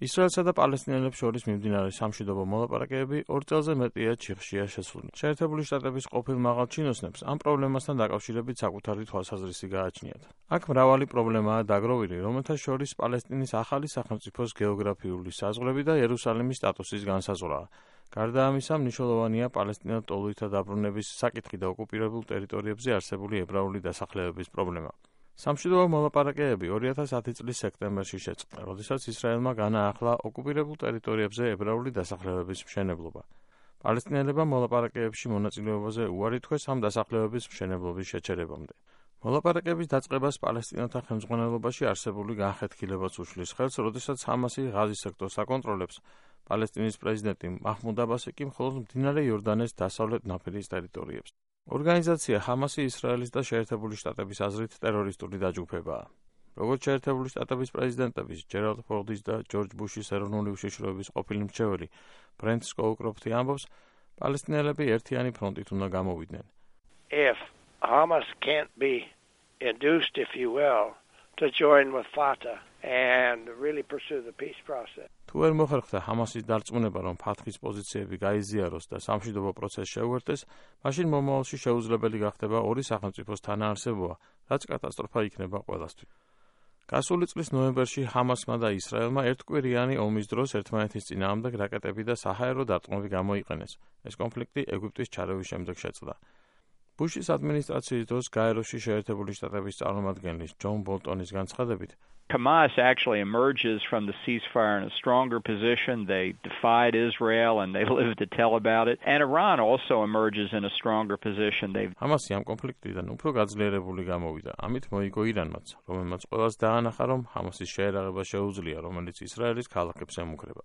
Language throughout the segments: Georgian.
ისრაელსა და პალესტინელებს შორის მიმდინარე სამშვიდობო მოლაპარაკებები 2 წელზე მეტია ჩიხშია შესული. შეერთებული შტატების ყოფილ მაღალ ჩინოსნებს ამ პრობლემასთან დაკავშირებით საკუთარი თვალსაზრისი გააჩნიათ. აქ მრავალი პრობლემაა დაგროვილი, რომელთა შორის პალესტინის ახალი სახელმწიფოს გეოგრაფიული საზღვრები და იერუსალიმის სტატუსის განსაზღვრაა. გარდა ამისა, მნიშვნელოვანია პალესტინელ ტოლოითა დაბრუნების საკითხი და ოკუპირებულ ტერიტორიებზე არსებული ებრაული დასახლებების პრობლემა. სამშვიდობო მოლაპარაკებები 2010 წლის სექტემბერში შეწყდა, როდესაც ისრაელმა განაახლა ოკუპირებულ ტერიტორიებზე ებრაული დასახლებების მშენებლობა. პალესტინელებმა მოლაპარაკებებში მონაწილეობაზე უარი თქვეს ამ დასახლებების მშენებლობის შეჩერებამდე. მოლაპარაკების დაწყებას პალესტინელთა ხელმძღვანელობაში არსებული განხეთქილებაც უშლის ხელს, როდესაც ჰამასი ღაზის სექტორს აკონტროლებს. პალესტინის პრეზიდენტი მაჰმუდ აბასი კი მხოლოდ მდინარე იორდანეს დასავლეთ ნაპირის ტერიტორიებს. ორგანიზაცია ჰამასი ისრაელის და შეერთებული შტატების აზრით ტერორისტული დაჯგუფებაა. როგორც შეერთებული შტატების პრეზიდენტების ჯერალდ ფორდის და ჯორჯ ბუშის ეროვნული უშიშროების ყოფილი მრჩეველი ბრენთ სკოუკროფტი ამბობს, პალესტინელები ერთიანი ფრონტით უნდა გამოვიდნენ. If Hamas can't be induced, if you will, to join with Fatah and really pursue the peace process. თუ ვერ მოხერხდა ჰამასის დარწმუნება, რომ ფათჰის პოზიციები გაიზიაროს და სამშვიდობო პროცესს შეუერთდეს, მაშინ მომავალში შეუძლებელი გახდება ორი სახელმწიფოს თანაარსებობა, რაც კატასტროფა იქნება ყველასთვის. გასული წლის ნოემბერში ჰამასმა და ისრაელმა ერთკვირიანი ომის დროს ერთმანეთის წინააღმდეგ რაკეტები და საჰაერო დარტყმები გამოიყენეს. ეს კონფლიქტი ეგვიპტის ჩარევის შემდეგ შეწყდა. ბუშის ადმინისტრაციის დროს გაეროში შეერთებული შტატების წარმომადგენლის ჯონ ბოლტონის განცხადებით, Hamas actually emerges from the ceasefire in a stronger position. They defied Israel and they lived to tell about it. And Iran also emerges in a stronger position. ჰამასი ამ კონფლიქტიდან უფრო გაძლიერებული გამოვიდა. ამით მოიგო ირანმაც, რომელმაც ყველას დაანახა, რომ ჰამასის შეერაღება შეუძლია, რომელიც ისრაელის ქალაქებს ემუქრება.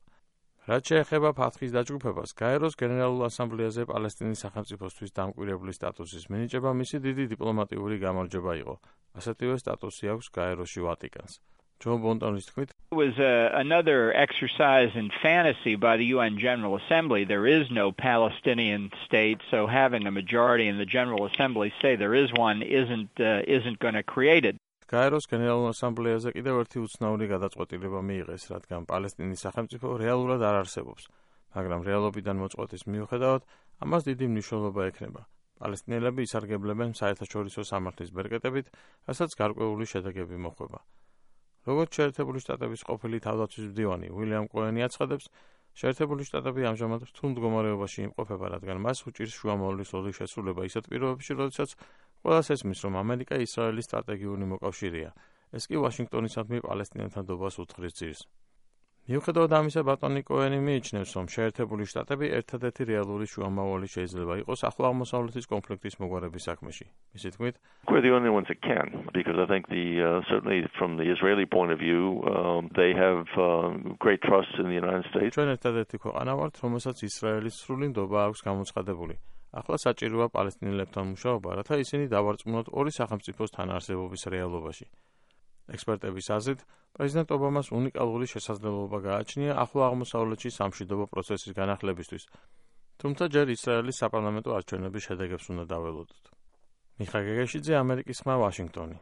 რაც შეეხება ფათჰის დაჯგუფებას, გაეროს გენერალურ ასამბლეაზე პალესტინის სახელმწიფოსთვის დამკვირვებლის სტატუსის მინიჭება მისი დიდი დიპლომატიური გამარჯვება იყო. ასეთივე სტატუსი აქვს გაეროში ვატიკანს. ჯონ ბოლტონის თქმით, It was another exercise in fantasy by the UN General Assembly. There is no Palestinian state, so having a majority in the General Assembly say there is one isn't going to create it. გაეროს გენერალურ ასამბლეაზე კიდევ ერთი უცნაური გადაწყვეტილება მიიღეს, რადგან პალესტინის სახელმწიფო რეალურად არ არსებობს, მაგრამ რეალობიდან მოწყვეტის მიუხედავად, ამას დიდი მნიშვნელობა ექნება. პალესტინელები ისარგებლებენ საერთაშორისო სამართლის ბერკეტებით, რასაც გარკვეული შედეგები მოჰყვება. როგორც შეერთებული შტატების ყოფილი თავდაცვის მდივანი უილიამ კოენი აცხადებს, შეერთებული შტატები ამჟამად რთულ მდგომარეობაში იმყოფება, რადგან მას უჭირს შუამავლის ოდის შესრულება ისეთ პირობებში, როდესაც ყველას ესმის, რომ ამერიკა ისრაელის სტრატეგიული მოკავშირეა. ეს კი ვაშინგტონისადმი პალესტინელთან დობას უთხრის ძირს. მიუხედავად ამისა, ბატონი კოენი მიიჩნევს, რომ შეერთებული შტატები ერთადერთი რეალური შუამავალი შეიძლება იყოს ახლო აღმოსავლეთის კონფლიქტის მოგვარების საქმეში. მისი თქმით, we're the only ones that can, because I think certainly from the Israeli point of view, they have great trust in the United States. ჩვენ ერთადერთი ქვეყანა ვართ, რომელსაც ისრაელის სრული ნდობა აქვს გამოცხადებული. ახლა საჭიროა პალესტინელებთან მუშაობა, რათა ისინი დავარწმუნოთ ორი სახელმწიფოს თანაარსებობის რეალობაში. ექსპერტების აზრით, პრეზიდენტ ობამას უნიკალური შესაძლებლობა გააჩნია ახლო აღმოსავლეთში სამშვიდობო პროცესის განახლებისთვის, თუმცა ჯერ ისრაელის საპარლამენტო არჩევნების შედეგებს უნდა დაველოდოთ. მიხა გეგეშიძე, ამერიკის ხმა, ვაშინგტონი.